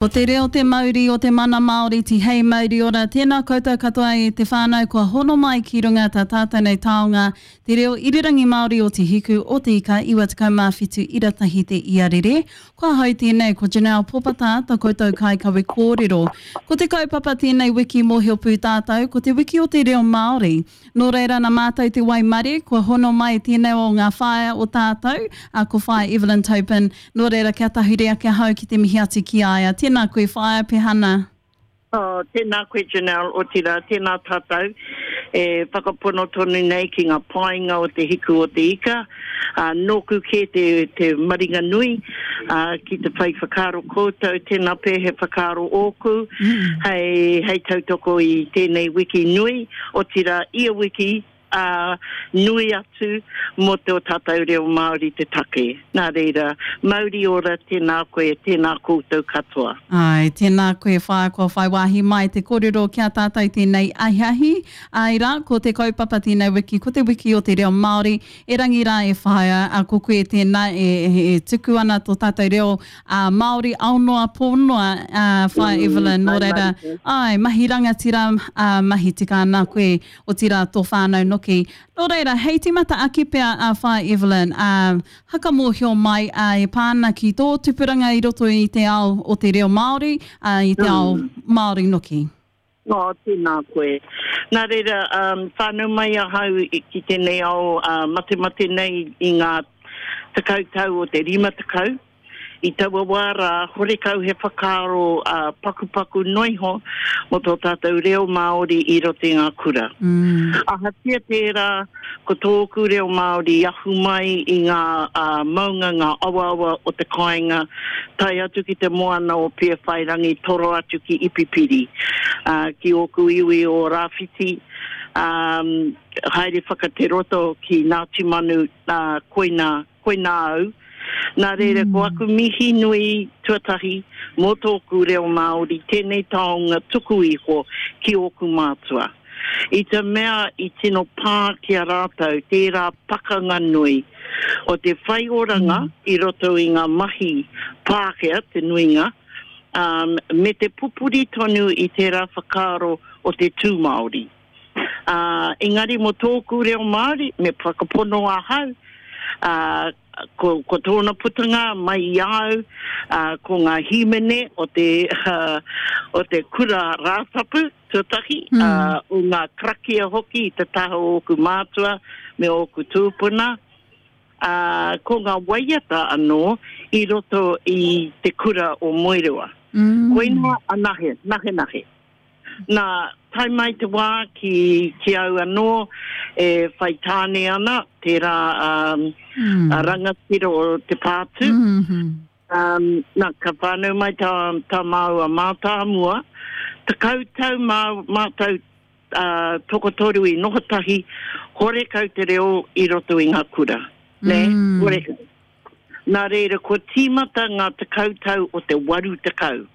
Ko te reo te mauri o te mana Māori Tihei mauri ora Tēnā koutou katoa e te whānau kua hono mai ki runga tā tātou nei taonga te reo irirangi Māori o Te Hiku o Te Ika 97 ira tahi te iarere Ko ahau tēnei ko Janelle Popata ta koutou kaikawe kōrero Ko te kaupapa tēnei wiki mōhio pū tātou ko te wiki o te reo Māori Nō reira na mātou te waimarie kua hono mai tēnei o ngā whaea o tātou, a ko Whaea Evelyn Topin, nō reira kia tahuri ake ahau ki te mihi atu ki a ia. Tēnā koe Whaea Pehana. Oh, tēnā koe Janelle, otirā, tēnā tātou e whakapono tonu nei ki ngā painga o te hiku o te ika. Ā, nōku kē te, te maringa nui, ā, ki te whai whakaaro koutou, tēnā pea he whakaaro ōku hei, hei tautoko i tēnei wiki nui, otirā, ia wiki, ā, nui atu mō te o tātou reo Māori te take. Nā reira, mauri ora, tēnā koe, tēnā koutou katoa. Āe, tēnā koe whaea kua whai wāhi mai te kōrero ki a tātou tēnei ahiahi. Āe rā, ko te kaupapa tēnei wiki, ko te wiki o te reo Māori. Erangi rā e whaea, ā, ko koe tēnā e, e tuku ana tō tātou reo ā, Māori ao noa, pō noa, ā, whaea Evelyn, nō reira, āe, mahi rangatira, ā, mahi tika ana koe, otirā tō whānau noki. Nō reira, hei tīmata ake pea a Whaea Evelyn, ā, haka mōhio mai, ā, e pā ana ki tō tupuranga i roto i te ao o te reo Māori, ā, i te ao Māori noki. Oh, tēnā koe. Nā reira, whānau mai ahau ki tēnei ao matemate nei i ngā tekau tau o te 50. I taua wā rā, horekau he whakaaro pakupaku noa iho mō tō tātou reo Māori i roto i ngā kura. Ahatia tērā, ko tōku reo Māori i ahu mai i ngā maunga, ngā awaawa o te kāinga, tae atu ki te moana o Pēwhairangi, toro atu ki Ipipiri, ki ōku iwi o Rāwhiti, haere whakateroto ki Ngāti Manu, koinā Koinā au. Nā reira, ko aku mihi nui tuatahi mō tōku reo Māori, tēnei taonga tuku iho ki ōku mātua. I te mea i tino pā ki a rātou tērā pakanga nui o te whai oranga i roto i ngā mahi Pākehā te nuinga, ā, me te pupuri tonu i tērā whakaaro o te tū Māori. Ā, engari mō tōku reo Māori, me whakapono ahau, ā, ko, ko tōna putanga mai i a au, ā, ko ngā hīmene o te, o te kura Rātapu, tuatahi, ā, o ngā karakia hoki i te taha o ōku mātua me ōku tūpuna, ā, ko ngā waiata anō i roto i te kura o Moerewa. Koinā anahe, nahenahe. Nā, tae mai te wā ki, ki au anō e whai tāne ana, tērā um, mm. a rangatira o te pātū. Mm -hmm. um, nā, ka whānau mai tā, tā māua mātāmua, tekau tau mā, mātou uh, tokotoru i noho tahi, horekau te reo i roto i ngā kura. Nē, mm. horekau. Nā reira, kua tīmata ngā tekau tau o te 80.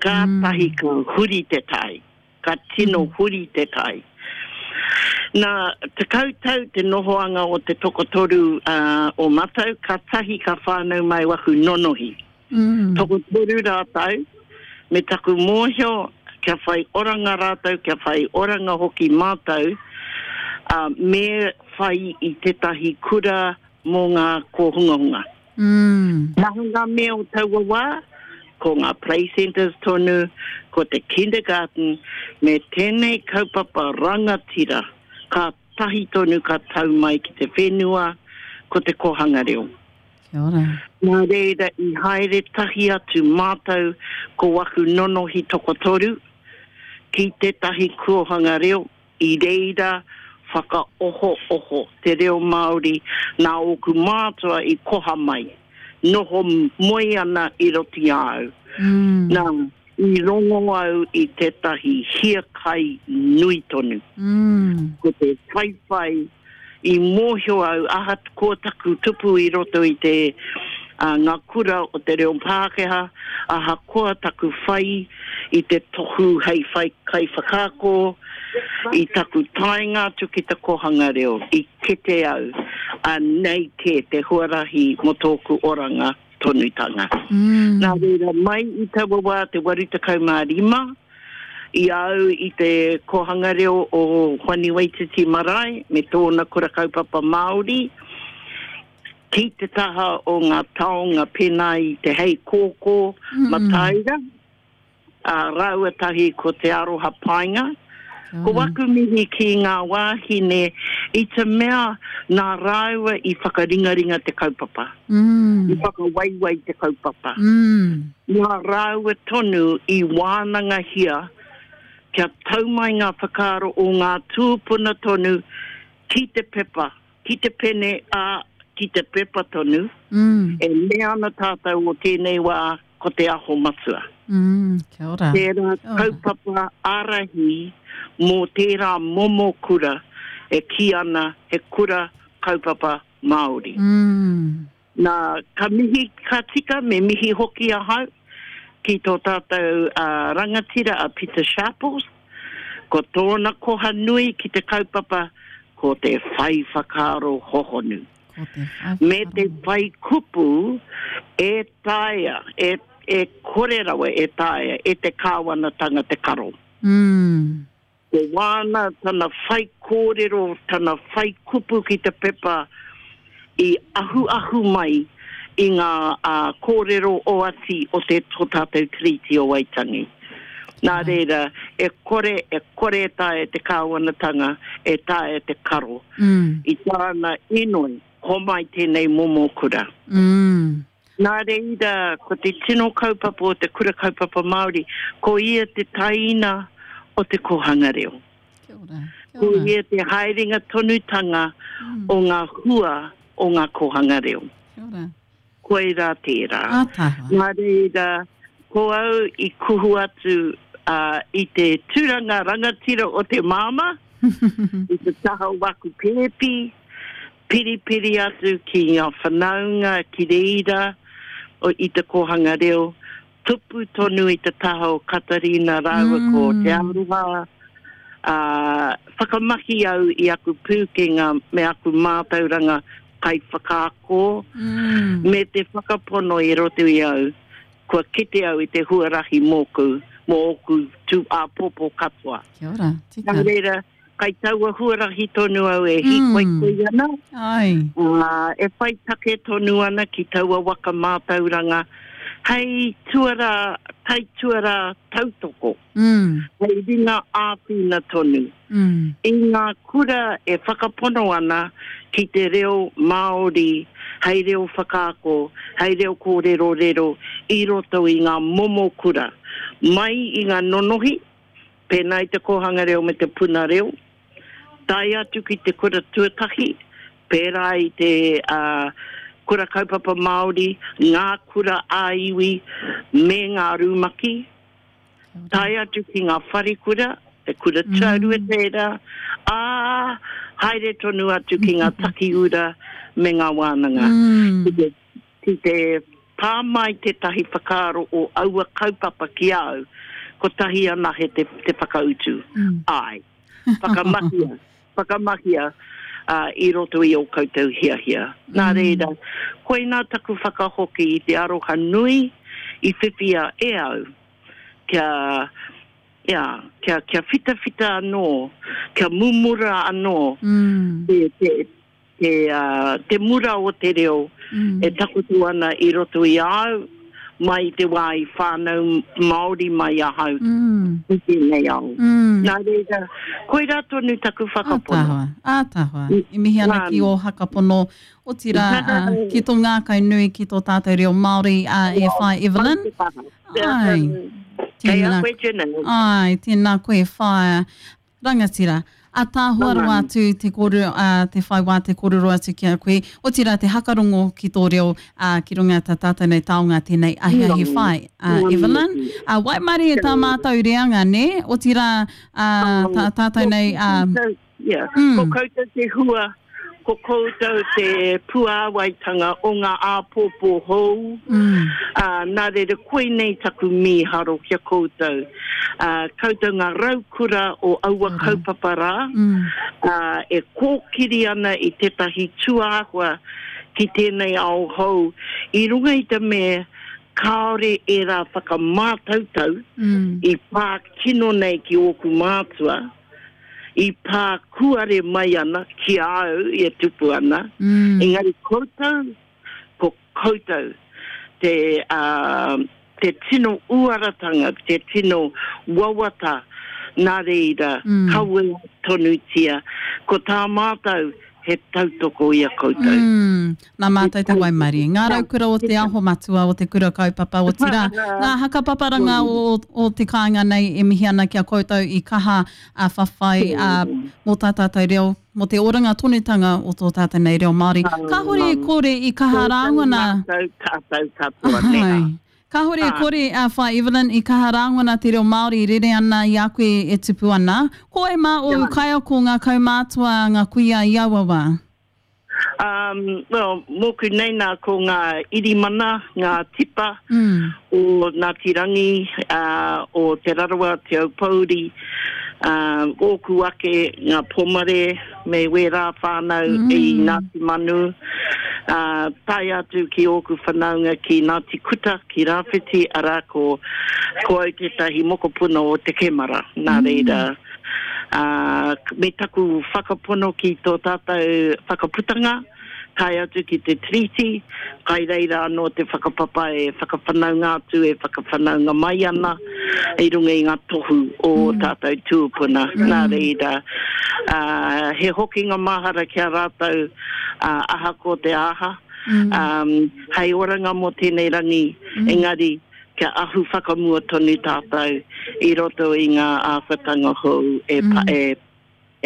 Kātahi ka huri te tai. Ka tino huri te tai. Nā, 10 tau te nohoanga o te tokotoru o matau, kātahi ka whānau mai waku nonohi. Tokotoru rātou, me taku mōhio kia whai oranga rātou, kia whai oranga hoki mātou, me whai i tētahi kura mō ngā kōhungahunga. Maha ngā mea o taua wā, ko ngā play centres tonu, ko te kindergarten, me tēnei kaupapa rangatira kātahi tonu ka tau mai ki te whenua, ko te kōhanga reo. Kia ora. Nā reira i haere tahi atu mātou ko waku nonohi tokotoru ki tētahi kōhanga reo, I reira whakaohooho te reo Māori nā ōku mātua i koha mai, noho moe ana i roto i a au. Nā, i rongo au i tētahi hiakai nui tonu. Ko te whaiwhai I mōhio au ahakoa taku tupu i roto i te ngā kura o te reo Pākehā, ahakoa taku whai i te tohu hei whai kaiwhakaako, i taku taenga atu ki te kohanga reo, i kite au, anei kē te huarahi mō tōku oranga. tonutanga. Mm. Nā reira, mai i taua wā te 85, i a au i te kōhanga reo o Hoani Waititi Marae me tōna kura kaupapa Māori, ki te taha o ngā taonga pēnā i te hei kōkō mm. mataira, ā, rāua tahi ko Te Aroha Paenga. Ko waku mihi ki ngā wāhine i te mea nā rāua i whakaringaringa te kaupapa, mm. i whakawaiwai te kaupapa. Mm. Nā rāua tonu i wānangahia kia tau mai ngā whakaaro o ngā tūpuna tonu ki te pepa, ki te pene, ā, ki te pepa tonu, mm. e mea ana tātou o tēnei wā ko Te Aho Matua. Mm, kia ora. Tērā kaupapa ārahi mō tērā momo kura e kī ana he kura kaupapa Māori. Mm. Nā, ka mihi ka tika, me mihi hoki ahau ki tō tātou uh, rangatira a Peter Sharples. Ko tōna koha nui ki te kaupapa ko te whai whakaaro hohonu. Ko te whai Me te whai kupu e taea, e, e kore rawa e taea e te kāwanatanga te karo. Mm. Ko wāna tana whai kōrero, tana whai kupu ki te pepa i ahuahu mai i ngā kōrero oati o te tō tātou Tiriti o Waitangi. Nā reira, e kore, e kore e taea te kāwanatanga, e taea te karo mm. i tāna inoi, homai tēnei momo kura. Mm. Nā reira, ko te tino kaupapa o te Kura Kaupapa Māori, ko ia te taina o te kōhanga reo. Kia ora, kia ora. Ko ia te haerenga tonutanga mm. o ngā hua o ngā kōhanga reo. Kia ora. Koirā tērā. Ātaahua. Nā reira, ko au i kuhu atu uh, i te tūranga rangatira o te māmā, i te taha o waku pēpi, piripiri atu ki ngā whanaunga ki reira o, i te kōhanga reo, tupu tonu i te taha o Katarina rāua mm. ko Te Aroha, ā, whakamahi au i aku pūkenga me aku mātauranga kaiwhakaako, mm. me te whakapono i roto i au, kua kite au i te huarahi mōku, mō ōku tū āpōpō katoa. Kia ora, tika. Nā reira, kai taua huarahi tonu au e hīkoikoi mm. ana. Ai. Ā, e whai take tonu ana ki taua waka mātauranga hei tuarā, taituarā tautoko. Mm. Hei ringa āwhina tonu. Mm. I ngā kura e whakapono ana ki te reo Māori hei reo whakaako, hei reo kōrerorero i roto i ngā momo kura. Mai i ngā nonohi, pēnā i te kōhanga reo me te puna reo, tae atu ki te kura tuatahi, pērā i te uh, kura kaupapa Māori, ngā kura ā-iwi me ngā rūmaki, tae atu ki ngā wharekura, te kura tuarua mm. tērā, ā, haere tonu atu ki ngā takiura me ngā wānanga. Mm. Ki te, ki te pā mai tētahi whakaaro o aua kaupapa ki a au, kotahi anahe te, te whakautu. Mm. Āe. Whakamahia, whakamahia uh, i roto i ō koutou hiahia. Mm. Nā reira, koinā taku whakahoki i te aroha nui i whiwhia e au kia ia, kia, kia whitawhita anō, kia mumura anō mm. te, te, te, uh, te mura o te reo mm. e takoto ana i roto i a au, mai i te wā i whānau Māori mai ahau mm. i tēnei ao. Mm. Nā reira, koirā tonu taku whakapono. Ātaahua, ātaahua. E mihi ana ki ō whakapono, otirā uh, ki tō ngākau nui ki tō tātou reo Māori uh, e whai Evelyn. Ai. Kei a koe Janelle. Ai, tēnā koe whaea. Rangatira. Ataahua rawa atu te kōrero, ā, te whai wā te kōrero atu ki a koe. Otirā te hakarongo ki tō reo, ā, ki runga tā tātou nei taonga tēnei ahiahi whai, ā, Evelyn. Ā, waimarie tā mātou reanga, nē? Otirā, ā, tā tātou nei, ā, Yeah. Ko koutou te hua, ko koutou te puāwaitanga o ngā āpōpō hou, ā, nā reira koinei taku mīharo ki a koutou. Ā, koutou ngā raukura o aua kaupapa rā, ā, e kōkiri ana i tētahi tūāhua. ki tēnei ao hou i runga i te mea kāore ērā whakamātautau i pā kino nei ki ōku mātua, i pā kūare mai ana ki a au e tupu ana, engari koutou, ko koutou te, te tino uaratanga, te tino wawata, nā reira, kawea tonutia, ko tā mātou he tautoko i a koutou. Mm, nā mātou te waimarie. Ngā raukura o Te Aho Matua, o Te Kura Kaupapa, otirā, ngā hakapaparanga o, o te kāinga nei e mihi ana ki a koutou i kaha a whawhai a, mō tā tātou reo, mō te oranga tonutanga o tō tātou nei reo Māori. Kāhore e kore i kaha rāngona. Koutou mātou, tātou katoa, nē hā. Kāhore e kore a Whai Evelyn i kaha rāngona te reo Māori e rere ana i a koe e tupu ana. Ko wai mā ōu kaiako, ngā kaumātua, ngā kuia i aua wā? Um, well, mōku nei nā ko ngā irimana, ngā tipa mm. o Ngāti Rangi, uh, o Te Rarawa, Te Aupōuri, uh, ōku ake ngā Pomare, me wērā whānau mm. i Ngāti Manu, ā, tae atu ki ōku whanaunga ki Ngāti Kuta, ki Rāwhiti, arā, ko, ko au tētahi mokopuna o Te Kemara, nā mm. reira, ā, me taku whakapono ki tō tātou whakaputanga, tae atu ki te Tiriti, kai reira anō te whakapapa e whakawhanaunga atu, e whakawhanaunga mai ana i runga i ngā tohu o ō mm. tātou tūpuna. Mm. Nā reira, uh, he hokinga mahara ki a rātou uh, ahakoa te aha, mm. um, hei oranga mō tēnei rangi, mm. engari kia ahu whakamua tonu tātou i roto i ngā āwhatanga hou e, mm. e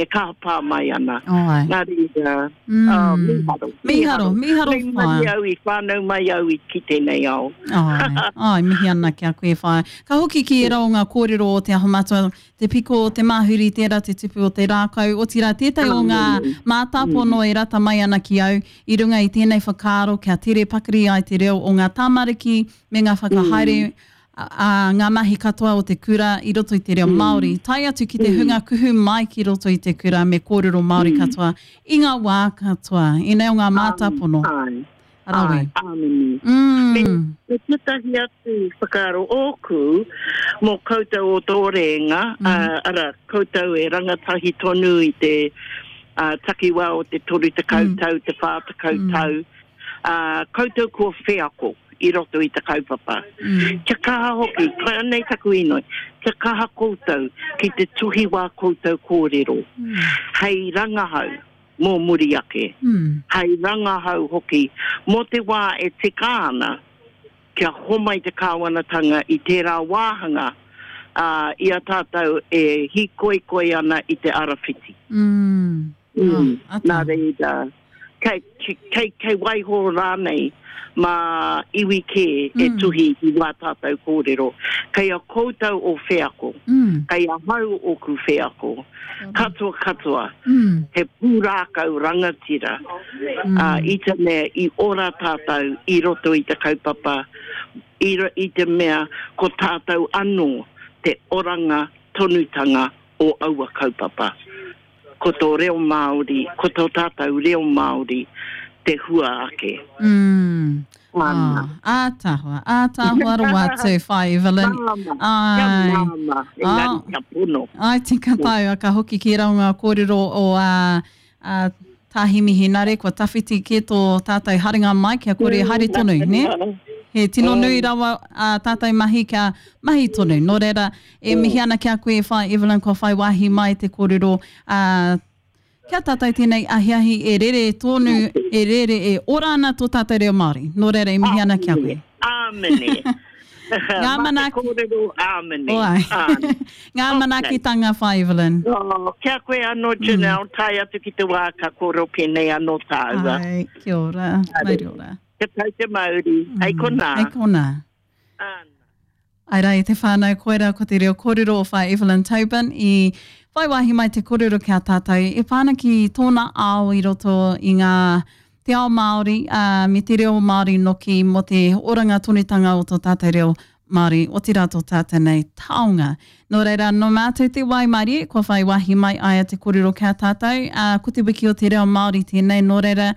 e kaha pā mai ana. Oh, ai. Nā reira, mm. oh, mīharo. Mīharo, mīharo whaea. Mei mai au i whānau mai au i ki tēnei ao. Ai, ai, mihi ana ki a koe whaea. Ka hoki ki ērā o ngā kōrero o Te Aho Matua, te piko o te māhuri, tērā te tupu o te rākau, otirā tētahi o ngā mātāpono e rata mai ana ki au i runga i tēnei whakaaro kia tere pakari ai te reo o ngā tamariki me ngā whakahaere mm ā, ngā mahi katoa o te kura i roto i te reo Māori, tae atu ki te hunga kuhu mai ki roto i te kura me kōrero Māori katoa i ngā wā katoa. Ēnei o ngā mātāpono. Āe. Rawe. Āe, āmine. Mm. Me, me tētahi atu whakaaro ōku mō koutou o tō rēnga, mm. uh, ara, koutou e rangatahi tonu i te uh, takiwā o te 30 mm. tau, te 40 mm. tau, uh, koutou kua wheako i roto i te kaupapa. Mm. Kia kaha hoki, anei taku inoi, kia kaha koutou ki te tuhi wā koutou kōrero, mm. hei rangahau mō muri ake, mm. hei rangahau hoki mō te wā e tika ana kia homai te kāwanatanga i tērā wāhanga uh, i a tātou e hīkoikoi ana i te arawhiti. Mm. Mm. Oh, Nā reira, kei, kei, kei waiho rānei mā iwi kē mm. e tuhi i wā tātou kōrero. Kei a koutou o wheako, mm. kei ahau ōku wheako, katoa katoa, mm. he pūrākau rangatira mm. uh, i te mea i ora tātou i roto i te kaupapa, i, i te mea ko tātou anō te oranga tonutanga o aua kaupapa. Ko tō reo Māori, ko tō tātou reo Māori te hua ake. Mm. Ana. Oh, ātaahua, ātaahua rawa atu, Whai Evelyn. Māmā, kia māmā, engari oh. kia pono. Ai, tika tāu, ka hoki ki ērā o ngā kōrero o a, a Tā Himi Henare, kua tawhiti kē tō tātou haerenga mai kia kore haere tonu, nē? He tino nui rawa ā tātou mahi kia mahi tonu. Nō reira, e mihi ana ki a koe e Whai Evelyn kua whai wāhi mai te kōrero, ā, ki a tātou tēnei ahiahi e rere tonu, e rere, e ora ana tō tātou reo Māori. Nō reira, e mihi ana ki a koe. Āmine. Ngā manaaki. Mā te kōrero āmine. Oai. Ngā manaakitanga whai, Evelyn. Oh, kia koe anō, Janelle, mm. tae atu ki te wā ka kōrero pēnei anō tāua. Ai, kia ora. Mauri ora. Kia tau te mauri. Mm. Hei konā. Hei konā. Ana. Ai rā i te whānau, koirā ko te reo kōrero o Whai Evelyn Tobin i whai wāhi mai te kōrero ki a tātou e pā ana ki tōna ao i roto i ngā te ao Māori, ā, me te reo Māori noki mō te oranga tonutanga o tō tātou reo Māori, otirā tō tātou nei taonga. Nō reira, nō mātou te waimarie, kua whai wāhi mai aia te kōrero ki a tātou, ā, ko te wiki o te reo Māori tēnei, nō reira,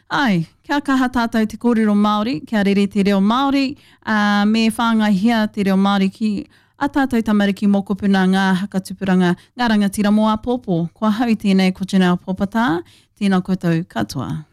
Āe, kia kaha tātou te kōrero Māori, kia rere te reo Māori, ā, me whāngaihia te reo Māori ki a tātou tamariki mokopuna, ngā hakatupuranga, ngā rangatira mō āpōpō. Ko ahau tēnei ko Janelle Popata, tēnā koutou katoa.